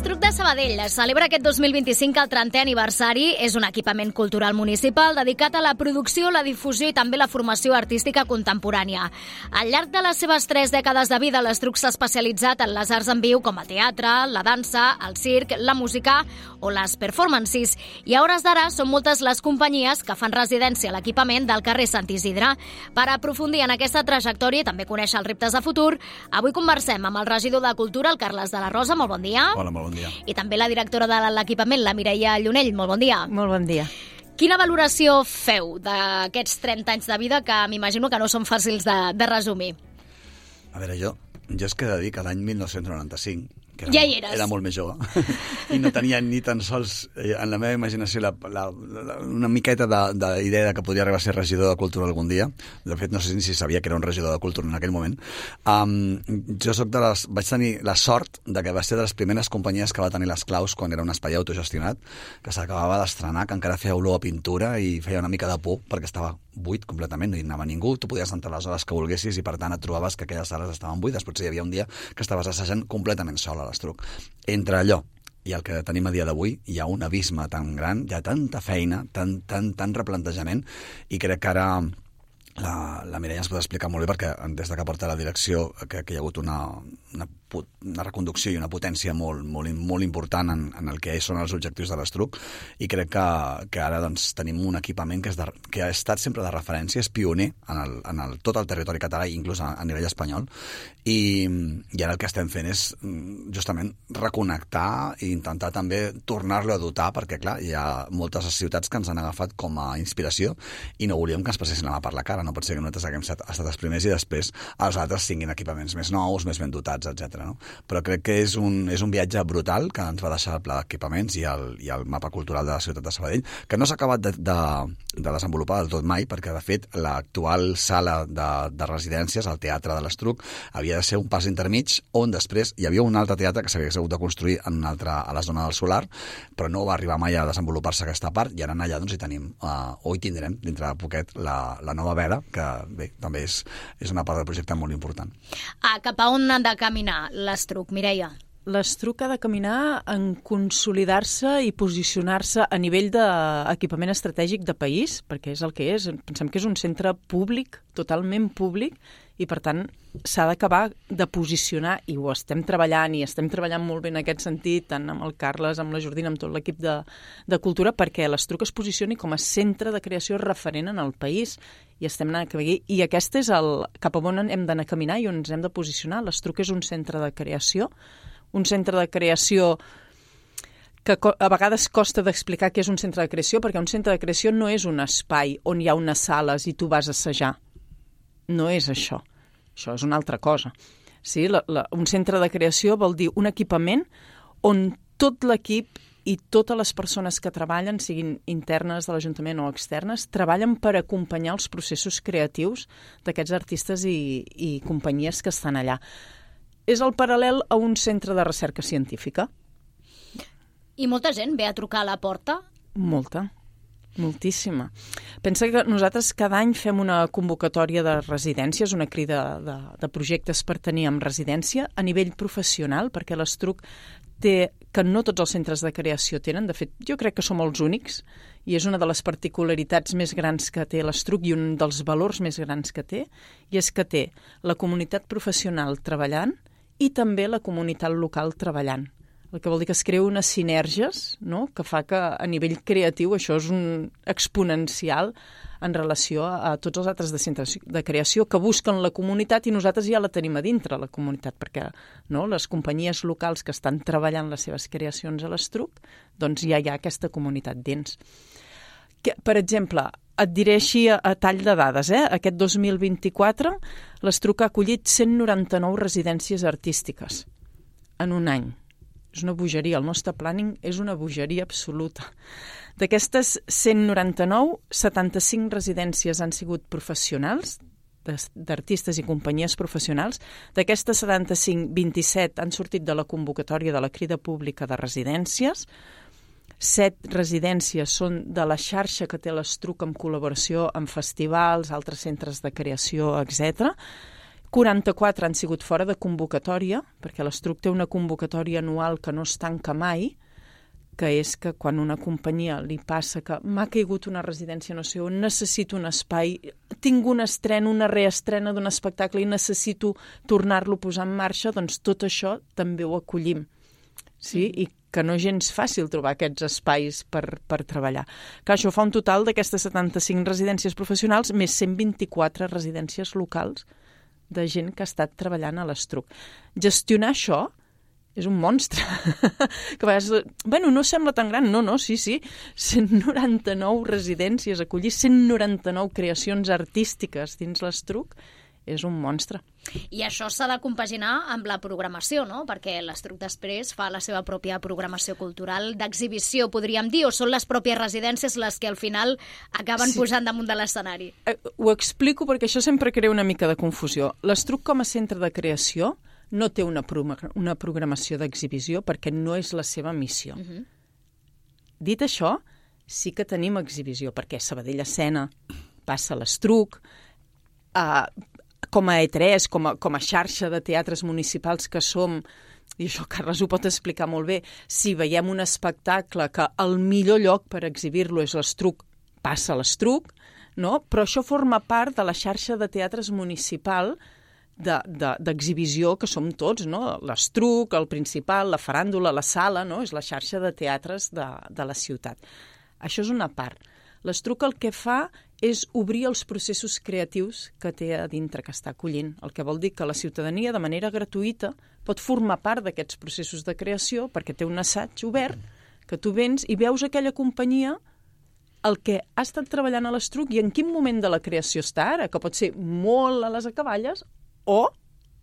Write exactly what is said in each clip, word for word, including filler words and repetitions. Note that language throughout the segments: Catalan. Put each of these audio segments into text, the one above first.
L'Estruc de Sabadell celebra aquest dos mil vint-i-cinc el trentè aniversari. És un equipament cultural municipal dedicat a la producció, la difusió i també la formació artística contemporània. Al llarg de les seves tres dècades de vida, l'Estruc s'ha especialitzat en les arts en viu com el teatre, la dansa, el circ, la música o les performances. I a hores d'ara són moltes les companyies que fan residència a l'equipament del carrer Sant Isidre. Per aprofundir en aquesta trajectòria i també conèixer els reptes de futur, avui conversem amb el regidor de Cultura, el Carles de la Rosa. Molt bon dia. Hola, molt bon dia. I també la directora de l'equipament, la Mireia Llunell. Molt bon dia. Molt bon dia. Quina valoració feu d'aquests trenta anys de vida que m'imagino que no són fàcils de, de resumir? A veure, jo, jo és que he de dir que l'any mil nou-cents noranta-cinc, que era, ja hi eres. Era molt més jove, i no tenia ni tan sols eh, en la meva imaginació la, la, la, una miqueta d'idea de que podria arribar a ser regidor de Cultura algun dia. De fet, no sé si sabia que era un regidor de Cultura en aquell moment. Um, jo soc de les, vaig tenir la sort de que va ser de les primeres companyies que va tenir les claus quan era un espai autogestionat, que s'acabava d'estrenar, que encara feia olor a pintura i feia una mica de por perquè estava buit completament, no hi anava ningú, tu podies entrar les hores que volguessis i per tant et trobaves que aquelles sales estaven buides. Potser hi havia un dia que estaves assajant completament sol a l'Estruc. Entre allò i el que tenim a dia d'avui hi ha un abisme tan gran, hi ha tanta feina, tant, tant, tant replantejament, i crec que ara la, la Mireia ens pot explicar molt bé perquè des de que porta la direcció que, que hi ha hagut una, una, una reconducció i una potència molt, molt, molt important en, en el que són els objectius de l'Estruc, i crec que, que ara doncs, tenim un equipament que, és de, que ha estat sempre de referència, és pioner en, el, en el, tot el territori català i inclús a, a nivell espanyol, i, i ara el que estem fent és justament reconnectar i intentar també tornar-lo a dotar, perquè clar, hi ha moltes ciutats que ens han agafat com a inspiració i no volíem que ens passessin la mà per la cara. No pot ser que nosaltres haguem estat, estat els primers i després els altres tinguin equipaments més nous, més ben dotats, etcètera. No? Però crec que és un, és un viatge brutal que ens va deixar el pla d'equipaments i el, i el mapa cultural de la ciutat de Sabadell, que no s'ha acabat de, de, de desenvolupar del tot mai, perquè de fet l'actual sala de, de residències, el Teatre de l'Estruc, havia de ser un pas intermig on després hi havia un altre teatre que s'havia hagut de construir en un altre, a la zona del Solar, però no va arribar mai a desenvolupar-se aquesta part, i ara allà doncs, hi tenim, uh, o hi tindrem dintre de poquet la, la nova veda, que bé, també és, és una part del projecte molt important. Ah, cap a on han de caminar l'Estruc, Mireia? L'Estruc ha de caminar en consolidar-se i posicionar-se a nivell d'equipament estratègic de país, perquè és el que és. Pensem que és un centre públic, totalment públic, i per tant s'ha d'acabar de posicionar, i ho estem treballant, i estem treballant molt bé en aquest sentit, tant amb el Carles, amb la Jordina, amb tot l'equip de, de Cultura, perquè l'Estruc es posicioni com a centre de creació referent en el país, i estem anant a caminar, i aquest és el cap a on hem d'anar a caminar i on ens hem de posicionar. L'Estruc és un centre de creació, un centre de creació que a vegades costa d'explicar què és un centre de creació, perquè un centre de creació no és un espai on hi ha unes sales i tu vas a assajar. No és això. Això és una altra cosa. Sí, la, la, un centre de creació vol dir un equipament on tot l'equip i totes les persones que treballen, siguin internes de l'Ajuntament o externes, treballen per acompanyar els processos creatius d'aquests artistes i, i companyies que estan allà. És el paral·lel a un centre de recerca científica. I molta gent ve a trucar a la porta? Molta. Moltíssima. Pensa que nosaltres cada any fem una convocatòria de residències, una crida de, de projectes per tenir en residència a nivell professional, perquè l'Estruc té, que no tots els centres de creació tenen, de fet jo crec que som els únics, i és una de les particularitats més grans que té l'Estruc i un dels valors més grans que té, i és que té la comunitat professional treballant i també la comunitat local treballant. El que vol dir que es creu unes sinergies, no?, que fa que a nivell creatiu això és un exponencial en relació a tots els altres de centres de creació que busquen la comunitat, i nosaltres ja la tenim a dintre, la comunitat, perquè no, les companyies locals que estan treballant les seves creacions a l'Estruc, doncs ja hi ha aquesta comunitat dins. Que, per exemple, et diré així a, a tall de dades, eh? Aquest dos mil vint-i-quatre l'Estruc ha acollit cent noranta-nou residències artístiques en un any. És una bogeria, el nostre planning és una bogeria absoluta. D'aquestes cent noranta-nou, setanta-cinc residències han sigut professionals, d'artistes i companyies professionals. D'aquestes setanta-cinc, vint-i-set han sortit de la convocatòria de la crida pública de residències. Set residències són de la xarxa que té l'Estruc en col·laboració amb festivals, altres centres de creació, etcètera. quaranta-quatre han sigut fora de convocatòria, perquè l'Estruc té una convocatòria anual que no es tanca mai, que és que quan una companyia li passa que m'ha caigut una residència no sé on, necessito un espai, tinc un estrena, una reestrena d'un espectacle i necessito tornar-lo a posar en marxa, doncs tot això també ho acollim. Sí? I que no és gens fàcil trobar aquests espais per, per treballar. Que això fa un total d'aquestes setanta-cinc residències professionals més cent vint-i-quatre residències locals de gent que ha estat treballant a l'Estruc. Gestionar això és un monstre. Que a vegades, bueno, no sembla tan gran. No, no, sí, sí. cent noranta-nou residències, acollir cent noranta-nou creacions artístiques dins l'Estruc és un monstre. I això s'ha de compaginar amb la programació, no? Perquè l'Estruc després fa la seva pròpia programació cultural d'exhibició, podríem dir, o són les pròpies residències les que al final acaben sí. posant damunt de l'escenari? Eh, ho explico perquè això sempre crea una mica de confusió. L'Estruc com a centre de creació no té una, pro una programació d'exhibició perquè no és la seva missió. Uh-huh. Dit això, sí que tenim exhibició, perquè Sabadell Escena passa a l'Estruc, eh, com a E tres, com a, com a xarxa de teatres municipals que som, i això Carles ho pot explicar molt bé, si veiem un espectacle que el millor lloc per exhibir-lo és l'Estruc, passa a l'Estruc, no? Però això forma part de la xarxa de teatres municipal d'exhibició de, de, que som tots, no? L'Estruc, el Principal, la Faràndula, la Sala, no? És la xarxa de teatres de, de la ciutat. Això és una part. L'Estruc el que fa és obrir els processos creatius que té a dintre, que està acollint. El que vol dir que la ciutadania, de manera gratuïta, pot formar part d'aquests processos de creació perquè té un assaig obert, que tu vens i veus aquella companyia el que ha estat treballant a l'Estruc i en quin moment de la creació està ara, que pot ser molt a les acaballes o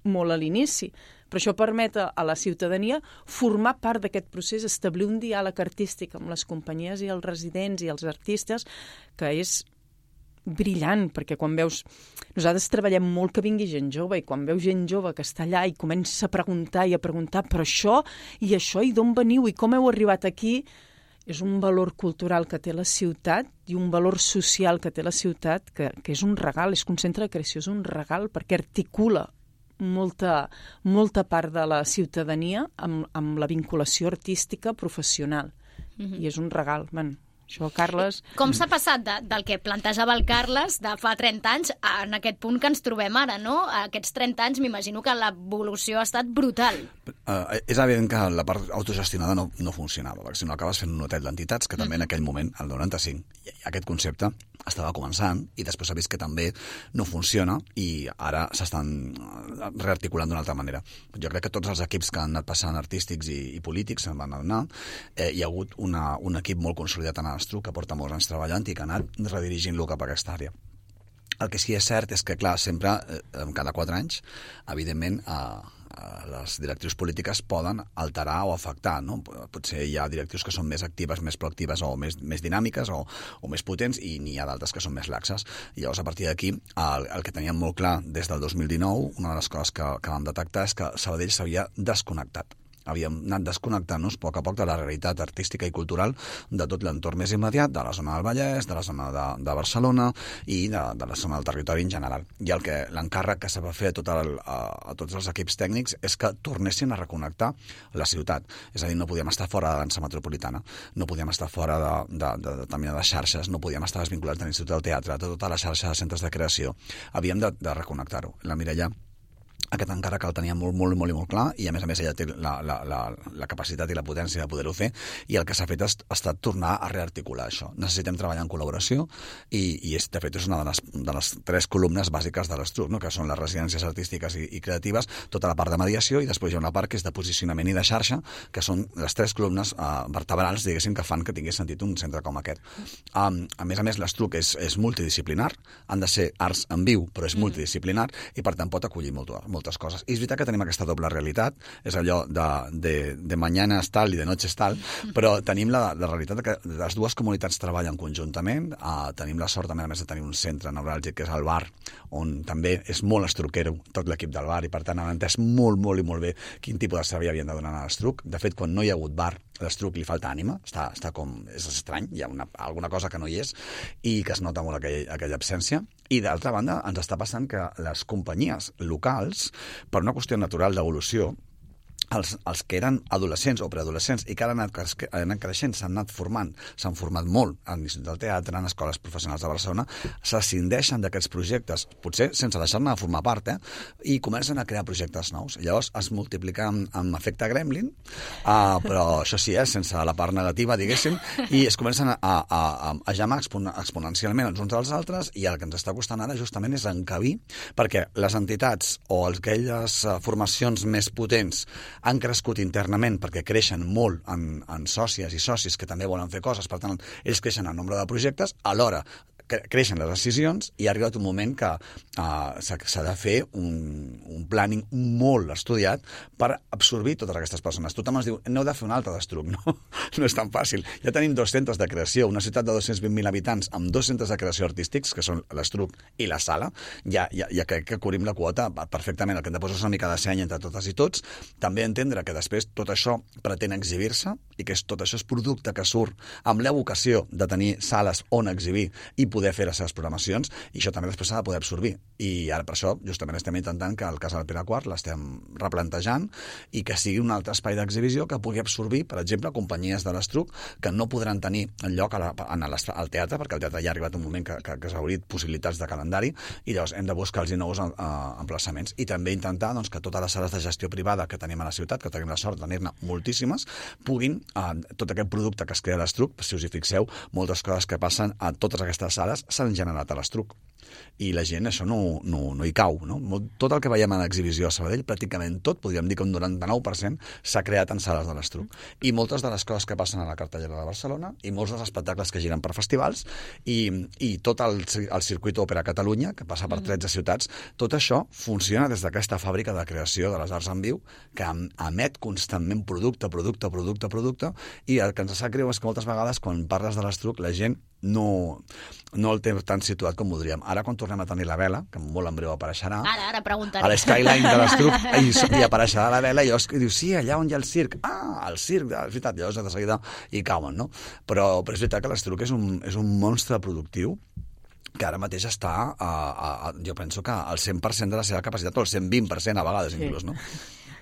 molt a l'inici. Però això permet a la ciutadania formar part d'aquest procés, establir un diàleg artístic amb les companyies i els residents i els artistes, que és brillant, perquè quan veus... Nosaltres treballem molt que vingui gent jove, i quan veus gent jove que està allà i comença a preguntar i a preguntar però això i això, i d'on veniu, i com heu arribat aquí, és un valor cultural que té la ciutat i un valor social que té la ciutat que, que és un regal, és que un centre de creació és un regal perquè articula molta, molta part de la ciutadania amb, amb la vinculació artística professional. Mm-hmm. I és un regal. Bueno, això, Carles... Com s'ha passat de, del que plantejava el Carles de fa trenta anys en aquest punt que ens trobem ara, no? Aquests trenta anys m'imagino que l'evolució ha estat brutal. Uh, és evident que la part autogestionada no, no funcionava, perquè si no acabes fent un hotel d'entitats, que també en aquell moment, el noranta-cinc, aquest concepte estava començant i després s'ha vist que també no funciona i ara s'estan rearticulant d'una altra manera. Jo crec que tots els equips que han anat passant artístics i, i polítics se'n van anar. Eh, hi ha hagut una, un equip molt consolidat en l'Estruc que porta molts anys treballant i que ha anat redirigint-lo cap a aquesta àrea. El que sí que és cert és que, clar, sempre, eh, cada quatre anys, evidentment, eh, les directrius polítiques poden alterar o afectar, no? Potser hi ha directrius que són més actives, més proactives o més, més dinàmiques o, o més potents i n'hi ha d'altres que són més laxes. I llavors, a partir d'aquí, el, el que teníem molt clar des del dos mil dinou, una de les coses que, que vam detectar és que Sabadell s'havia desconnectat. Havíem anat desconnectant-nos a poc a poc de la realitat artística i cultural de tot l'entorn més immediat, de la zona del Vallès, de la zona de, de Barcelona i de, de la zona del territori en general. I el que l'encàrrec que s'ha de fer a, tot el, a, a tots els equips tècnics és que tornessin a reconnectar la ciutat. És a dir, no podíem estar fora de dansa metropolitana, no podíem estar fora de, de, de determinades xarxes, no podíem estar desvinculats de l'Institut del Teatre, de tota la xarxa de centres de creació. Havíem de, de reconnectar-ho. La Mireia aquest encara que el tenia molt, molt, molt, molt clar i a més a més ella té la, la, la, la capacitat i la potència de poder-ho fer i el que s'ha fet ha estat tornar a rearticular això. Necessitem treballar en col·laboració i, i és, de fet és una de les, de les tres columnes bàsiques de l'Estruc, no? Que són les residències artístiques i, i creatives, tota la part de mediació i després hi ha una part que és de posicionament i de xarxa, que són les tres columnes eh, vertebrals, diguéssim, que fan que tingués sentit un centre com aquest. Um, a més a més, l'Estruc és, és multidisciplinar, han de ser arts en viu, però és multidisciplinar i per tant pot acollir molt, moltes coses. I és veritat que tenim aquesta doble realitat, és allò de, de, de mañana és tal i de noche és tal, però tenim la, la realitat que les dues comunitats treballen conjuntament, uh, tenim la sort, a més a més, de tenir un centre neuràlgic, que és el bar, on també és molt estruquero tot l'equip del bar, i per tant han entès molt, molt i molt bé quin tipus de servei havien de donar a l'Estruc. De fet, quan no hi ha hagut bar, a l'Estruc li falta ànima, està, està com, és estrany, hi ha una, alguna cosa que no hi és, i que es nota molt aquell, aquella absència. I d'altra banda ens està passant que les companyies locals, per una qüestió natural d'evolució, els, els que eren adolescents o preadolescents i que ara han anat, han anat creixent, s'han anat formant, s'han format molt en l'Institut del Teatre, en escoles professionals de Barcelona, s'ascindeixen d'aquests projectes, potser sense deixar-ne de formar part, eh? I comencen a crear projectes nous. Llavors es multiplica amb, amb efecte gremlin, uh, però això sí, eh, sense la part negativa, diguéssim, i es comencen a, a, a, a jamar expon exponencialment els uns dels altres, i el que ens està costant ara justament és encabir, perquè les entitats o aquelles uh, formacions més potents han crescut internament perquè creixen molt en, en sòcies i socis que també volen fer coses, per tant, ells creixen en nombre de projectes, alhora creixen les decisions i ha arribat un moment que uh, s'ha de fer un, un planning molt estudiat per absorbir totes aquestes persones. Tothom es diu, no heu de fer un altre d'Estruc, no? No és tan fàcil. Ja tenim dos centres de creació, una ciutat de dos-cents vint mil habitants amb dos centres de creació artístics, que són l'Estruc i la Sala, ja, ja, ja crec que cobrim la quota perfectament. El que hem de posar és una mica de seny entre totes i tots. També entendre que després tot això pretén exhibir-se i que és, tot això és producte que surt amb la vocació de tenir sales on exhibir i poder fer les seves programacions, i això també després s'ha de poder absorbir. I ara per això justament estem intentant que el cas del Pere quart l'estem replantejant i que sigui un altre espai d'exhibició que pugui absorbir, per exemple, companyies de l'Estruc que no podran tenir lloc a la, en el, al teatre, perquè el teatre ja ha arribat un moment que, que, que s'ha obrit possibilitats de calendari, i llavors hem de buscar-los nous uh, emplaçaments. I també intentar doncs, que totes les sales de gestió privada que tenim a la ciutat, que tenim la sort de tenir-ne moltíssimes, puguin, uh, tot aquest producte que es crea a l'Estruc, si us hi fixeu, moltes coses que passen a totes aquestes sales s'han generat a l'Estruc. I la gent això no, no, no hi cau. No? Tot el que veiem en l'exhibició a Sabadell, pràcticament tot, podríem dir que un noranta-nou per cent s'ha creat en sales de l'Estruc. I moltes de les coses que passen a la cartellera de Barcelona i molts dels espectacles que giren per festivals i, i tot el, el circuit Òpera Catalunya, que passa per tretze ciutats, tot això funciona des d'aquesta fàbrica de creació de les arts en viu que emet constantment producte, producte, producte, producte, i el que ens sap greu és que moltes vegades quan parles de l'Estruc la gent no, no el té tan situat com voldríem. Ara, quan tornem a tenir la vela, que molt en breu apareixerà, ara, ara preguntaré. A l'Skyline de l'Estruc, i, i apareixerà la vela, i llavors diu, sí, allà on hi ha el circ. Ah, el circ, és veritat, llavors de seguida hi cauen, no? Però, però és veritat que l'Estruc és un, és un monstre productiu que ara mateix està, a, a, a, jo penso que al cent per cent de la seva capacitat, o al cent vint per cent a vegades, inclús, no?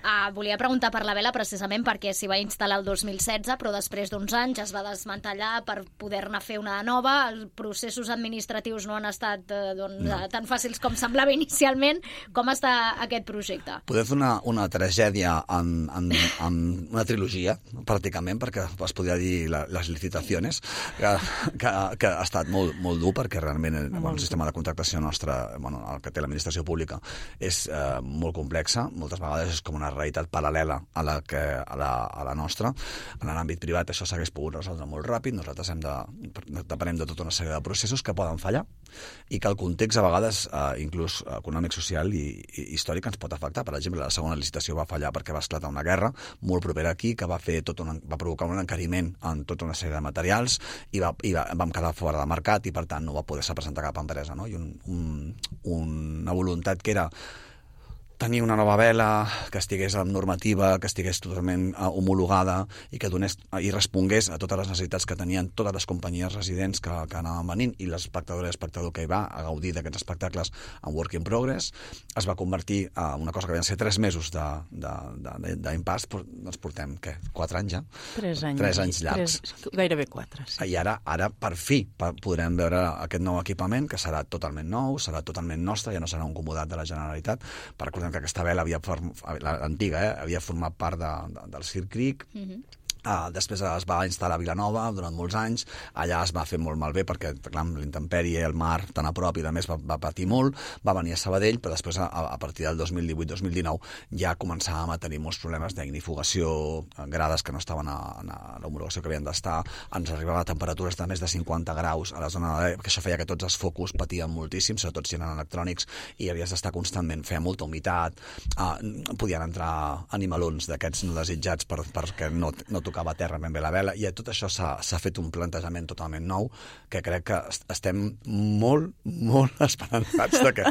Uh, volia preguntar per la vela precisament perquè s'hi va instal·lar el dos mil setze, però després d'uns anys es va desmantellar per poder-ne fer una nova. Els processos administratius no han estat uh, doncs, no. tan fàcils com semblava inicialment. Com està aquest projecte? Podem fer una, una tragèdia en, en, en una trilogia, pràcticament, perquè es podria dir la, les licitacions, que, que, que ha estat molt, molt dur, perquè realment el, bueno, el sistema de contractació nostre, bueno, el que té l'administració pública, és uh, molt complexa. Moltes vegades és com una realitat paral·lela a la, que, a la, a la nostra. En l'àmbit privat això s'hagués pogut resoldre molt ràpid. Nosaltres hem de, depenem de tota una sèrie de processos que poden fallar i que el context a vegades, eh, inclús econòmic, social i, i històric, ens pot afectar. Per exemple, la segona licitació va fallar perquè va esclatar una guerra molt propera aquí que va, fer tot un, va provocar un encariment en tota una sèrie de materials i, va, i va, vam quedar fora de mercat i per tant no va poder-se presentar cap empresa, no? I un, un, una voluntat que era tenir una nova vela que estigués amb normativa, que estigués totalment uh, homologada i que donés uh, i respongués a totes les necessitats que tenien totes les companyies residents que, que anaven venint i l'espectador i l'espectador que hi va a gaudir d'aquests espectacles en work in progress. Es va convertir en uh, una cosa que van ser tres mesos d'impàs, però doncs portem, què, quatre anys ja? Tres anys. Tres anys llargs. Tres, gairebé quatre, sí. I ara, ara per fi, podrem veure aquest nou equipament, que serà totalment nou, serà totalment nostre, ja no serà un comodat de la Generalitat. Per recordem que aquesta vela havia l'antiga, eh, havia format part de, de, del Circ Cric. Mm-hmm. Uh, després es va instal·lar a Vilanova durant molts anys, allà es va fer molt malbé perquè clar, l'intempèrie, el mar tan a prop i a més va, va patir molt, va venir a Sabadell, però després a, a partir del dos mil divuit dos mil dinou ja començàvem a tenir molts problemes d'ignifugació, grades que no estaven a, a l'homologació que havien d'estar, ens arribava a temperatures de més de cinquanta graus a la zona de... que això feia que tots els focus patien moltíssim, sobretot si eren electrònics, i havies d'estar constantment, feia molta humitat, uh, podien entrar animalons d'aquests no desitjats per, perquè no, no tocaven tocava a terra ben bé la vela, i tot això s'ha fet un plantejament totalment nou, que crec que estem molt, molt esperançats de que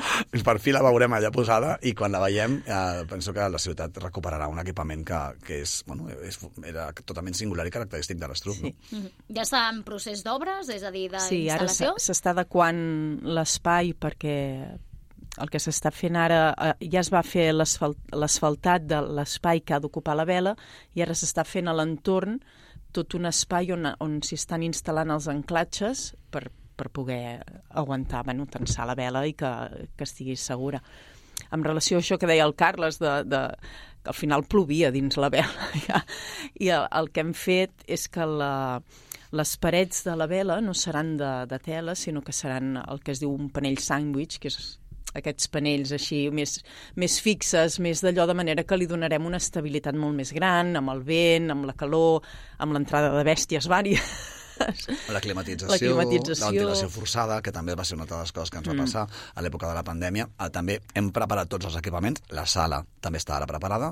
per fi la veurem allà posada, i quan la veiem eh, penso que la ciutat recuperarà un equipament que, que és, bueno, és, era totalment singular i característic de l'Estruc. Sí. No? Mm-hmm. Ja està en procés d'obres, és a dir, d'instal·lació? Sí, ara s'està adequant l'espai perquè el que s'està fent ara, eh, ja es va fer l'asfaltat de l'espai que ha d'ocupar la vela, i ara s'està fent a l'entorn tot un espai on, on s'hi estan instal·lant els anclatges per, per poder aguantar, bueno, tensar la vela i que, que estigui segura. En relació a això que deia el Carles, de, de, que al final plovia dins la vela, ja, i el, el que hem fet és que la, les parets de la vela no seran de, de tela, sinó que seran el que es diu un panell sàndwich, que és aquests panells així més, més fixes, més d'allò, de manera que li donarem una estabilitat molt més gran, amb el vent, amb la calor, amb l'entrada de bèsties vàries. La climatització, la climatització, la ventilació forçada, que també va ser una de les coses que ens va passar mm. a l'època de la pandèmia. També hem preparat tots els equipaments, la sala també està ara preparada,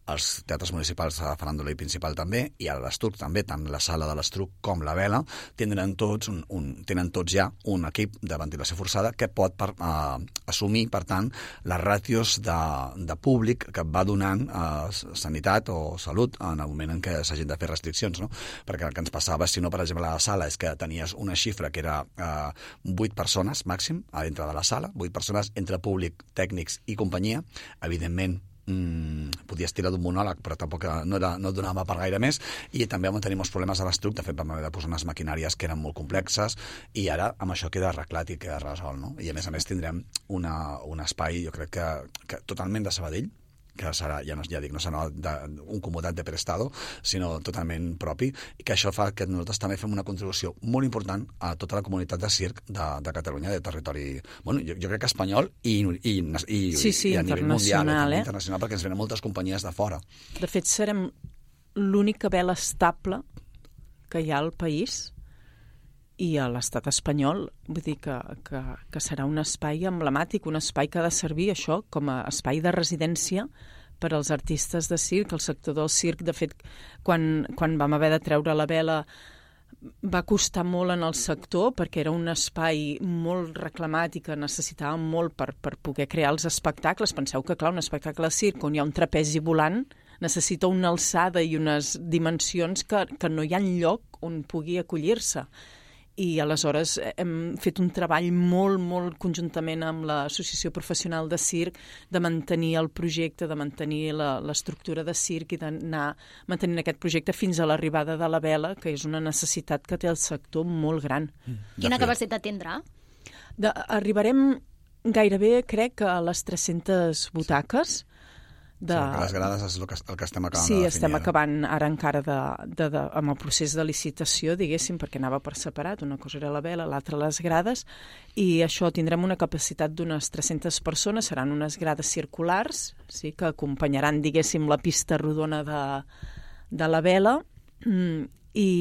els teatres municipals de Faràndula i Principal també, i a l'Estruc també, tant la sala de l'Estruc com la vela, tindran tots, un, un, tenen tots ja un equip de ventilació forçada que pot per, uh, assumir, per tant, les ràtios de, de públic que va donant uh, sanitat o salut en el moment en què s'hagin de fer restriccions, no? Perquè el que ens passava, si no, per exemple, la sala és que tenies una xifra que era eh, vuit persones màxim a dintre de la sala, vuit persones entre públic, tècnics i companyia. Evidentment, mmm, podies tirar d'un monòleg, però tampoc no, era, no donava per gaire més, i també vam tenir molts problemes a l'Estruc. De fet, vam haver de posar unes maquinàries que eren molt complexes, i ara amb això queda arreglat i queda resolt, no? I a més a més tindrem una, un espai, jo crec que, que totalment de Sabadell, que serà, ja, no, ja dic, no serà de, un comodat de prestado, sinó totalment propi, i que això fa que nosaltres també fem una contribució molt important a tota la comunitat de circ de, de Catalunya, de territori, bueno, jo, jo crec que espanyol i, i, i, sí, sí, i a nivell mundial, eh? internacional, perquè ens venen moltes companyies de fora. De fet, serem l'única vela estable que hi ha al país i a l'estat espanyol, vull dir que, que, que serà un espai emblemàtic, un espai que ha de servir això com a espai de residència per als artistes de circ, el sector del circ. De fet, quan, quan vam haver de treure la vela va costar molt en el sector, perquè era un espai molt reclamat i que necessitàvem molt per, per poder crear els espectacles. Penseu que, clar, un espectacle de circ on hi ha un trapezi volant necessita una alçada i unes dimensions que, que no hi ha lloc on pugui acollir-se. I aleshores hem fet un treball molt, molt conjuntament amb l'Associació Professional de Circ de mantenir el projecte, de mantenir l'estructura de circ i d'anar mantenint aquest projecte fins a l'arribada de la vela, que és una necessitat que té el sector molt gran. Mm. Quina capacitat tindrà? De, arribarem gairebé, crec, a les tres-centes butaques. De... Sí, les grades és el que, el que estem acabant sí, de definir. Sí, estem acabant ara encara de, de, de, amb el procés de licitació, diguéssim, perquè anava per separat. Una cosa era la vela, l'altra les grades, i això tindrem una capacitat d'unes tres-centes persones, seran unes grades circulars, sí, que acompanyaran, diguéssim, la pista rodona de, de la vela, i...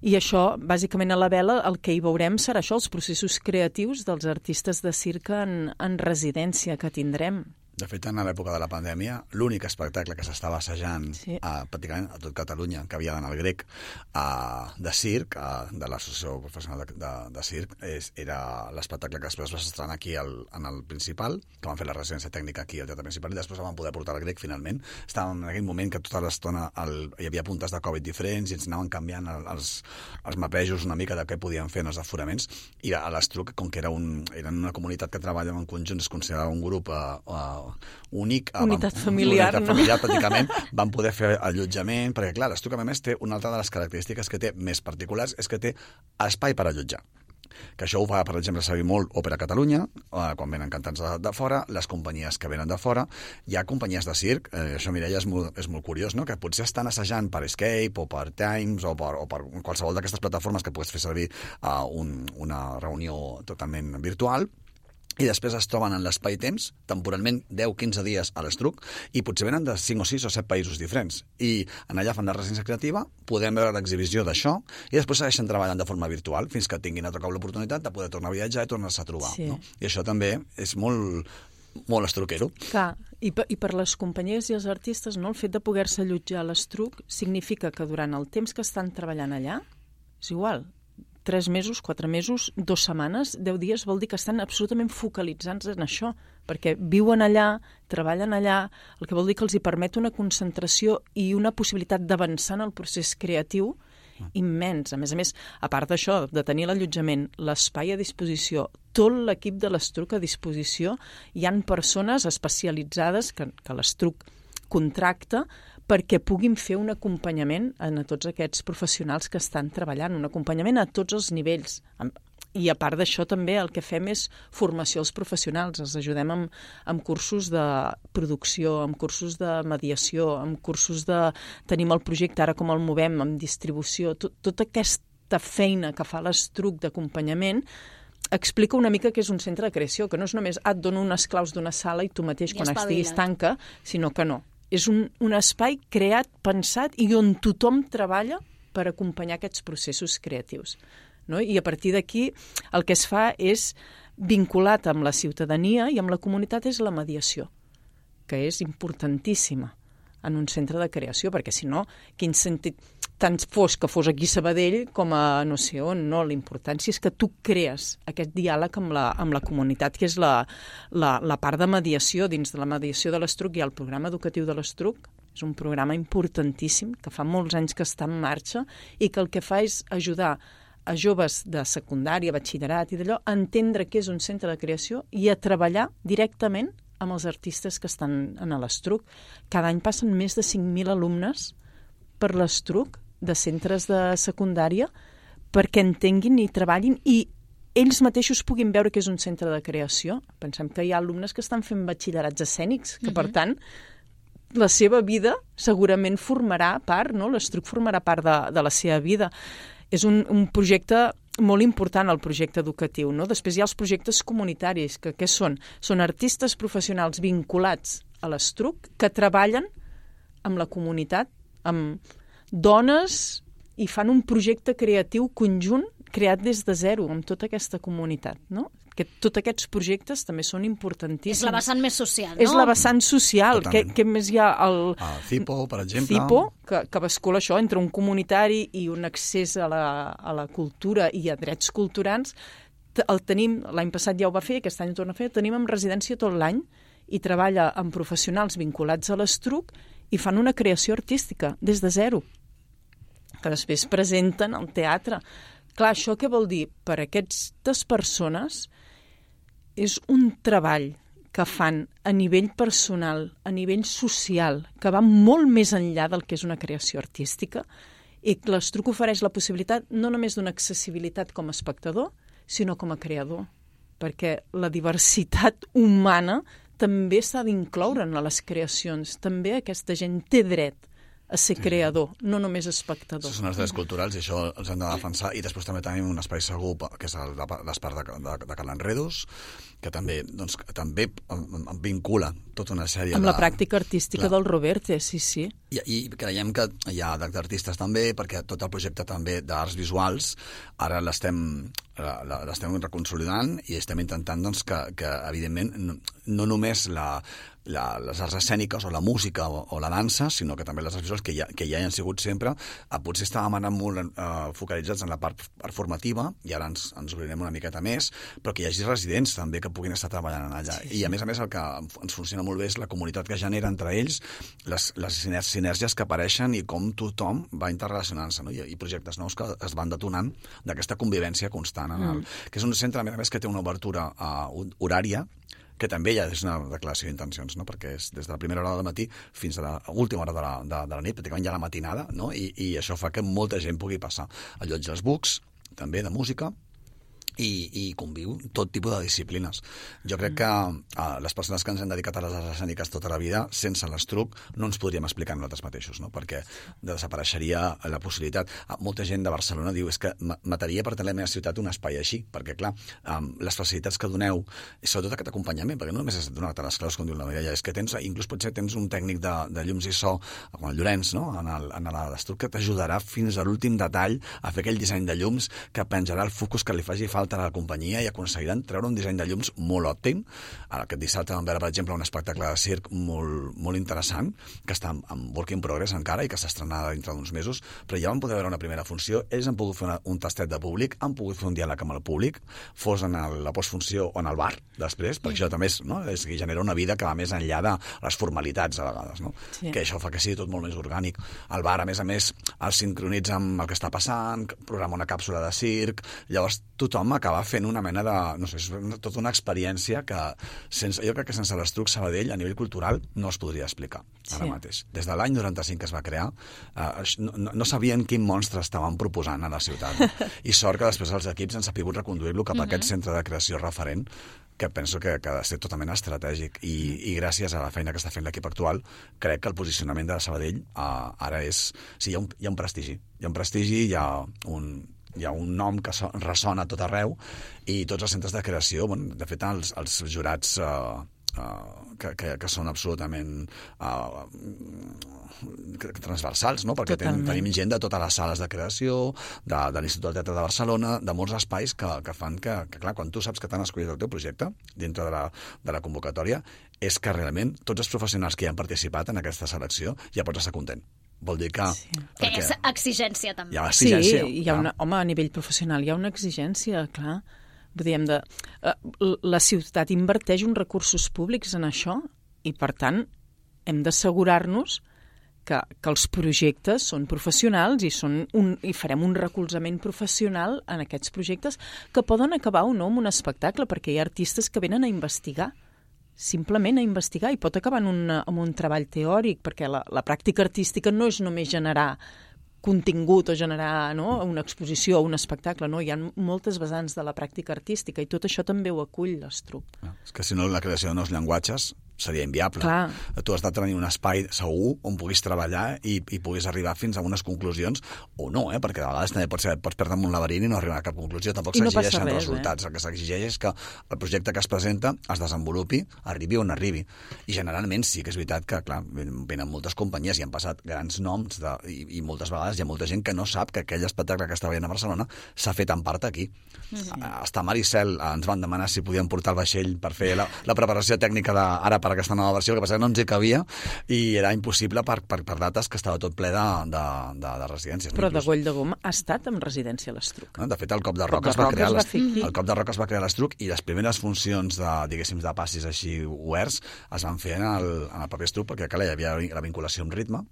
I això, bàsicament a la vela, el que hi veurem serà això, els processos creatius dels artistes de circ en, en residència que tindrem. De fet, en l'època de la pandèmia, l'únic espectacle que s'estava assajant sí. a, pràcticament a tot Catalunya, que havia d'anar al grec, a, de circ, a, de l'Associació Professional de, de, de Circ, és, era l'espectacle que després va estrenar aquí al, en el Principal, que van fer la residència tècnica aquí al Teatre Principal, i després van poder portar al grec finalment. Estàvem en aquell moment que tota l'estona el, hi havia puntes de Covid diferents i ens anaven canviant el, els, els mapejos una mica de què podien fer en els aforaments, i a l'Estruc, com que era, un, era una comunitat que treballa en conjunt, es considerava un grup a, a únic, unitat vam, familiar, unitat no? familiar pràcticament, van poder fer allotjament, perquè clar, l'Estruc a més té una altra de les característiques que té més particulars, és que té espai per allotjar. Que això ho fa, per exemple, servir molt Òpera Catalunya, eh, quan venen cantants de, de fora, les companyies que venen de fora. Hi ha companyies de circ, eh, això, Mireia, és molt, és molt curiós, no? Que potser estan assajant per Escape o per Times o per, o per qualsevol d'aquestes plataformes que puguis fer servir a uh, un, una reunió totalment virtual, i després es troben en l'espai-temps, temporalment deu a quinze dies a l'Estruc, i potser venen de cinc o sis o set països diferents. I en allà fan la residència creativa, podem veure l'exhibició d'això, i després segueixen treballant de forma virtual, fins que tinguin a tocar l'oportunitat de poder tornar a viatjar i tornar-se a trobar. Sí. No? I això també és molt... molt estruquero. Clar, i per, i per les companyies i els artistes, no, el fet de poder-se allotjar a l'Estruc significa que durant el temps que estan treballant allà, és igual, tres mesos, quatre mesos, dues setmanes, deu dies, vol dir que estan absolutament focalitzats en això, perquè viuen allà, treballen allà, el que vol dir que els hi permet una concentració i una possibilitat d'avançar en el procés creatiu immens. A més a més, a part d'això, de tenir l'allotjament, l'espai a disposició, tot l'equip de l'Estruc a disposició, hi han persones especialitzades que, que l'Estruc contracta perquè puguin fer un acompanyament a tots aquests professionals que estan treballant, un acompanyament a tots els nivells. I a part d'això també el que fem és formació als professionals, els ajudem amb, amb cursos de producció, amb cursos de mediació, amb cursos de... Tenim el projecte, ara com el movem, amb distribució, tot, tota aquesta feina que fa l'Estruc d'acompanyament explica una mica que és un centre de creació, que no és només ah, et dono unes claus d'una sala i tu mateix quan estiguis tanca, sinó que no. És un, un espai creat, pensat i on tothom treballa per acompanyar aquests processos creatius. No? I a partir d'aquí el que es fa és, vinculat amb la ciutadania i amb la comunitat, és la mediació, que és importantíssima en un centre de creació, perquè si no, quin sentit tant fos que fos aquí a Sabadell com a no sé on, no? La importància és que tu crees aquest diàleg amb la, amb la comunitat, que és la, la, la part de mediació. Dins de la mediació de l'Estruc hi ha el programa educatiu de l'Estruc, és un programa importantíssim, que fa molts anys que està en marxa i que el que fa és ajudar a joves de secundària, batxillerat i d'allò, a entendre què és un centre de creació i a treballar directament amb els artistes que estan en l'Estruc. Cada any passen més de cinc mil alumnes per l'Estruc de centres de secundària perquè entenguin i treballin i ells mateixos puguin veure que és un centre de creació. Pensem que hi ha alumnes que estan fent batxillerats escènics, que, uh-huh. per tant, la seva vida segurament formarà part, no? L'Estruc formarà part de, de la seva vida. És un, un projecte molt important, el projecte educatiu, no? Després hi ha els projectes comunitaris, que què són? Són artistes professionals vinculats a l'Estruc que treballen amb la comunitat, amb dones, i fan un projecte creatiu conjunt creat des de zero, amb tota aquesta comunitat, no? Que tots aquests projectes també són importantíssims. És la vessant més social, no? És la vessant social. Què, què més hi ha? El el CIPO, per exemple. CIPO, que, que bascula això entre un comunitari i un accés a la, a la cultura i a drets culturals. El tenim, l'any passat ja ho va fer, aquest any ho torna a fer, el tenim en residència tot l'any i treballa amb professionals vinculats a l'Estruc i fan una creació artística des de zero, que després presenten al teatre. Clar, això què vol dir? Per a aquestes persones és un treball que fan a nivell personal, a nivell social, que va molt més enllà del que és una creació artística, i l'Estruc ofereix la possibilitat no només d'una accessibilitat com a espectador, sinó com a creador, perquè la diversitat humana també s'ha d'incloure en les creacions. També aquesta gent té dret a ser sí. creador, no només espectador. Això són els drets culturals i això els hem de defensar. I després també tenim un espai segur, que és l'espai de, de, de Cal Enredos, que també, doncs, també em vincula tota una sèrie amb de... la pràctica artística Clar. Del Roberte, sí, sí. I, I creiem que hi ha d'artistes també, perquè tot el projecte també d'arts visuals ara l'estem l'estem reconsolidant i estem intentant doncs, que, que, evidentment, no, no només la, la, les arts escèniques o la música o, o la dansa, sinó que també les arts visuals que ja, que ja hi han sigut sempre, eh, potser estàvem anant molt eh, focalitzats en la part, part formativa, i ara ens, ens obrirem una miqueta més, però que hi hagi residents també que puguin estar treballant allà. Sí, sí. I a més a més el que ens funciona molt bé és la comunitat que genera entre ells, les, les sinèrgies que apareixen i com tothom va interrelacionant-se, no? I, i projectes nous que es van detonant d'aquesta convivència constant, en el, mm. que és un centre, a més a més, que té una obertura uh, horària, que també ja és una declaració d'intencions, no? Perquè és des de la primera hora del matí fins a l'última hora de la, de, de la nit, pràcticament ja la matinada, no? I, i això fa que molta gent pugui passar. Allotja els bucs, també de música, i, i conviu tot tipus de disciplines. Jo crec que uh, les persones que ens hem dedicat a les arts escèniques tota la vida, sense l'Estruc, no ens podríem explicar nosaltres mateixos, no? Perquè desapareixeria la possibilitat. Uh, molta gent de Barcelona diu és que mataria per tenir a la meva ciutat un espai així, perquè, clar, um, les facilitats que doneu, i sobretot aquest acompanyament, perquè no només és donar-te les claus, com diu la Mireia, és que tens, inclús potser tens un tècnic de, de llums i so, com el Llorenç, no? en, el, en l'Estruc, que t'ajudarà fins a l'últim detall a fer aquell disseny de llums que penjarà el focus que li faci falta falta a la companyia i aconseguiran treure un disseny de llums molt òptim. Aquest dissabte vam veure, per exemple, un espectacle de circ molt, molt interessant, que està en work in progress encara i que s'estrenarà dintre d'uns mesos, però ja vam poder veure una primera funció, ells han pogut fer una, un tastet de públic, han pogut fer un diàleg amb el públic, fos en el, la postfunció o en el bar, després, perquè això també és, no? És que genera una vida que va més enllà de les formalitats, a vegades, no? Sí. Que això fa que sigui tot molt més orgànic. El bar, a més a més, el sincronitza amb el que està passant, programa una càpsula de circ, llavors tothom acaba fent una mena de... no sé, és tota una experiència que sense, jo crec que sense l'Estruc Sabadell a nivell cultural no es podria explicar ara sí. mateix. Des de l'any noranta-cinc que es va crear, eh, no, no, no sabien quin monstre estaven proposant a la ciutat. I sort que després els equips han sabut reconduir-lo cap a uh-huh. aquest centre de creació referent que penso que, que ha de ser totalment estratègic i, i gràcies a la feina que està fent l'equip actual crec que el posicionament de Sabadell uh, ara és... Sí, hi ha, un, hi ha un prestigi. Hi ha un prestigi, hi ha un, hi ha un nom que so, ressona a tot arreu i tots els centres de creació, bueno, de fet els, els jurats uh, uh, que, que, que són absolutament uh, transversals, no? Perquè ten, tenim gent de totes les sales de creació, de, de l'Institut del Teatre de Barcelona, de molts espais que, que fan que, que, clar, quan tu saps que t'han escollit el teu projecte dintre de la, de la convocatòria, és que realment tots els professionals que hi han participat en aquesta selecció ja pots estar content. Vol dir que... Sí. Que és exigència, també. Hi ha exigència. Sí, hi ha una, home, a nivell professional hi ha una exigència, clar. Vull dir, hem de... La ciutat inverteix uns recursos públics en això i, per tant, hem d'assegurar-nos que, que els projectes són professionals i, són un, i farem un recolzament professional en aquests projectes que poden acabar o no amb un espectacle, perquè hi ha artistes que venen a investigar, simplement a investigar, i pot acabar en un, en un treball teòric, perquè la, la pràctica artística no és només generar contingut o generar, no?, una exposició o un espectacle, no? Hi ha moltes vessants de la pràctica artística i tot això també ho acull l'Estruc. És que si no la creació de nous llenguatges seria inviable. Clar. Tu has de tenir un espai segur on puguis treballar i, i puguis arribar fins a unes conclusions o no, eh? Perquè a vegades també pots, pots perdre en un laberint i no arribar a cap conclusió. Tampoc no s'exigeixen res, resultats. Eh? El que s'exigeix és que el projecte que es presenta es desenvolupi, arribi on arribi. I generalment sí que és veritat que, clar, venen moltes companyies i han passat grans noms de, i, i moltes vegades hi ha molta gent que no sap que aquell espectacle que està veient a Barcelona s'ha fet en part aquí. Mm-hmm. Hasta Maricel ens van demanar si podien portar el vaixell per fer la, la preparació tècnica de, ara per aquesta nova versió, el que passa que no ens hi cabia i era impossible per, per, per dates que estava tot ple de, de, de, de residències. Però de Goll de Gom ha estat en residència a l'Estruc. De fet, el Cop de Roc es va crear el Cop de Roc es va crear a l'Estruc i les primeres funcions de, diguéssim, de passis així oberts es van fer en el, en el propi Estruc, perquè clar, hi havia la vinculació amb ritme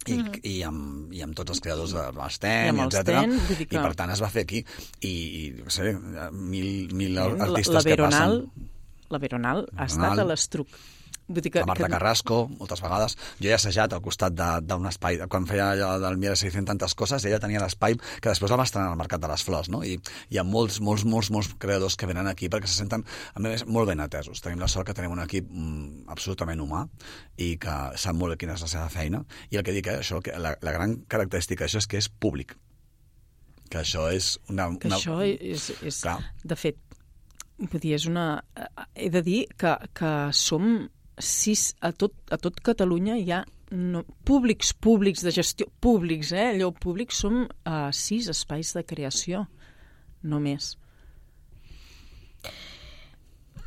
i, mm. i, amb, i amb tots els creadors de l'Sten, etcètera. Que... I per tant es va fer aquí. I, i no sé, mil, mil artistes la, la Veronal, que passen... La Veronal ha estat a l'Estruc. Vull dir que, la Marta que... Carrasco, moltes vegades. Jo he assajat al costat d'un espai, quan feia allò del Mira si fent tantes coses, ella tenia l'espai que després el va estrenar al Mercat de les Flors, no? I hi ha molts, molts, molts, molts creadors que venen aquí perquè se senten, a més, molt ben atesos. Tenim la sort que tenim un equip mm, absolutament humà i que sap molt quina és la seva feina. I el que dic, eh, això, que la, la gran característica d'això és que és públic. Que això és una... Que una... això és, és de fet, vull dir, és una... He de dir que, que som... sis, a tot, a tot Catalunya hi ha no, públics, públics de gestió, públics, eh? Allò públics, som uh, sis espais de creació, només.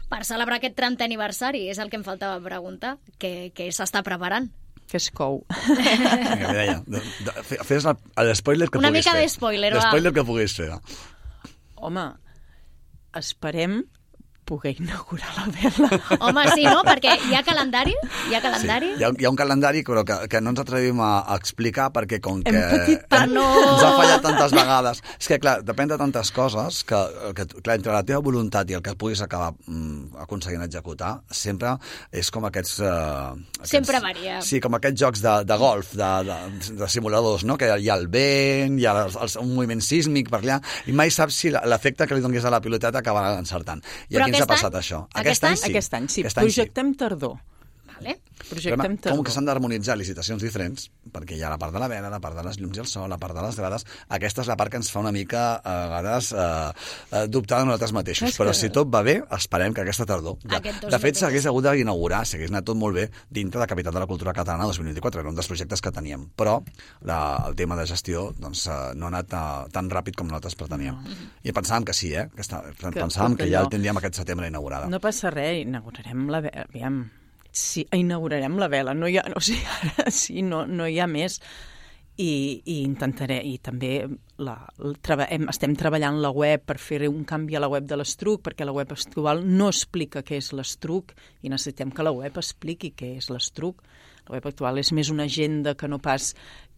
Per celebrar aquest trentè aniversari, és el que em faltava preguntar, què, què s'està preparant? Que es cou. Vinga, deia, de, de, fes l'espoiler que Una puguis fer. Una mica d'espoiler, va. L'espoiler que puguis fer. Home, esperem poder inaugurar la vela. Home, sí, no? Perquè hi ha calendari? Hi ha calendari? Sí, hi ha, hi ha un calendari, però que, que no ens atrevim a, a explicar perquè com que petit, no. ens ha fallat tantes vegades. És que, clar, depèn de tantes coses que, que clar, entre la teva voluntat i el que puguis acabar mm, aconseguint executar, sempre és com aquests... Uh, aquests sempre varia. Sí, com aquests jocs de, de golf, de, de, de simuladors, no? Que hi ha el vent, hi ha el, el, un moviment sísmic per allà, i mai saps si l'efecte que li donguis a la piloteta acabarà encertant. I però aquí ens ha passat any? Això. Aquest, aquest any? Sí. Aquest any, sí. Aquest any Projectem sí. tardor. Vale. Projectem com que s'han d'harmonitzar licitacions diferents, perquè hi ha la part de la vela, la part de les llums i el so, la part de les grades, aquesta és la part que ens fa una mica, a vegades, eh, dubtar de nosaltres mateixos. És Però que... si tot va bé, esperem que aquesta tardor... De, de fet, s'hagués hagut d'inaugurar, s'hagués anat tot molt bé dintre de Capital de la Cultura Catalana dos mil vint-i-quatre, era un dels projectes que teníem. Però la, el tema de gestió doncs, no ha anat uh, tan ràpid com nosaltres preteníem. No. I pensàvem que sí, eh? Que està, pensàvem que, que ja el tindríem aquest setembre inaugurada. No passa res, inaugurarem la... Aviam, sí, inaugurarem la vela, no hi ha, o sigui, ara sí, no, no hi ha més. I, i intentaré, i també la, la, hem, estem treballant la web per fer un canvi a la web de l'Estruc, perquè la web actual no explica què és l'Estruc i necessitem que la web expliqui què és l'Estruc. La web actual és més una agenda que no pas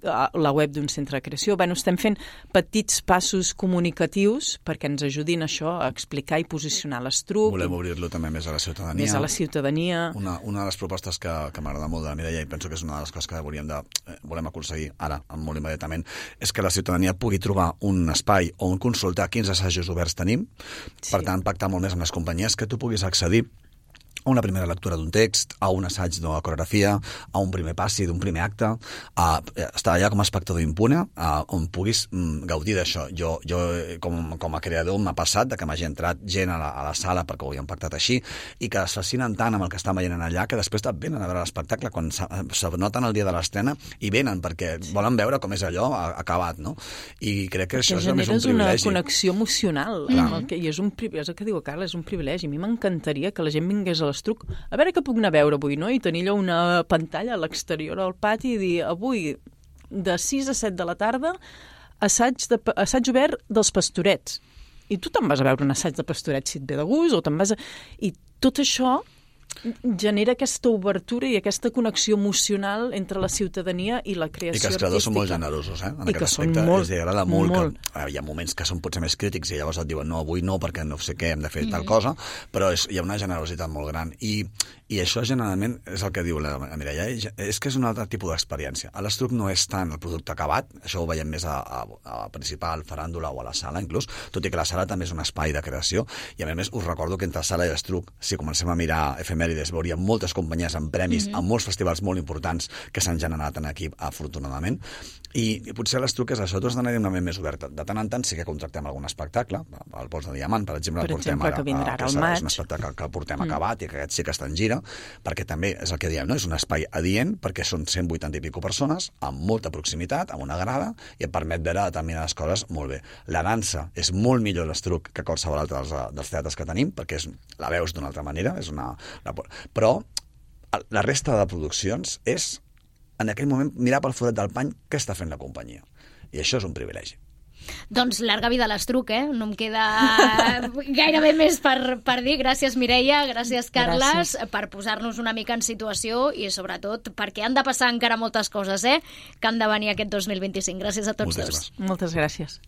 la web d'un centre de creació. Bé, estem fent petits passos comunicatius perquè ens ajudin això a explicar i posicionar l'Estruc. Volem obrir-lo també més a la ciutadania. Més a la ciutadania. Una, una de les propostes que, que m'agrada molt de la Mireia, i penso que és una de les coses que volíem de, eh, volem aconseguir ara, molt immediatament, és que la ciutadania pugui trobar un espai on consultar quins assajos oberts tenim, sí. Per tant, pactar molt més amb les companyies, que tu puguis accedir a una primera lectura d'un text, a un assaig d'una coreografia, a un primer passi d'un primer acte, a estar allà com a espectador impune, a, on puguis mm, gaudir d'això. Jo, jo com, com a creador, m'ha passat de que m'hagi entrat gent a la, a la sala perquè ho havíem pactat així, i que es fascinen tant amb el que estan veient allà, que després venen a veure l'espectacle quan se noten el dia de l'estrena i venen perquè volen veure com és allò acabat, no? I crec que perquè això és només un privilegi. Generes una connexió emocional, mm. el que, i és un privilegi, és el que diu Carla, és un privilegi. A mi m'encantaria que la gent vingués a l'Estruc, a veure què puc anar a veure avui, no? I tenir allò una pantalla a l'exterior al pati i dir, avui, de sis a set de la tarda, assaig, de, assaig obert dels Pastorets. I tu te'n vas a veure un assaig de Pastorets si et ve de gust, o te'n vas a... I tot això genera aquesta obertura i aquesta connexió emocional entre la ciutadania i la creació artística. I que els creadors són molt generosos, eh? En I aquest aspecte molt, els agrada molt, molt. Que hi ha moments que són potser més crítics i llavors et diuen no, avui no, perquè no sé què, hem de fer mm. tal cosa, però és, hi ha una generositat molt gran. I, i això generalment és el que diu la Mireia, és que és un altre tipus d'experiència. A l'Estruc no és tant el producte acabat, això ho veiem més a, a, a principal, faràndula o a la sala inclús, tot i que la sala també és un espai de creació, i a més us recordo que entre sala i l'Estruc, si comencem a mirar efemèrides, veuríem moltes companyies amb premis, mm-hmm. amb molts festivals molt importants que s'han generat en aquí, afortunadament, i, i potser l'Estruc és això, tots d'anar una ment més oberta. De tant en tant sí que contractem algun espectacle, el Pols de Diamant, per exemple, per el portem exemple, ara, que vindrà que al maig. És un espectacle que el portem mm. acabat i que aquest sí que està en gira, perquè també és el que diem, no? És un espai adient perquè són cent vuitanta i pico persones, amb molta proximitat, amb una grada, i et permet veure determinades coses molt bé. La dansa és molt millor l'Estruc que qualsevol altre dels, dels teatres que tenim, perquè és, la veus d'una altra manera, és una, una... però la resta de produccions és, en aquell moment, mirar pel forat del pany què està fent la companyia. I això és un privilegi. Doncs llarga vida a l'Estruc, eh? No em queda gairebé més per, per dir. Gràcies, Mireia, gràcies, Carles, gràcies. Per posar-nos una mica en situació i, sobretot, perquè han de passar encara moltes coses, eh? Que han de venir aquest dos mil vint-i-cinc. Gràcies a tots Moltes dos. gràcies. Moltes gràcies.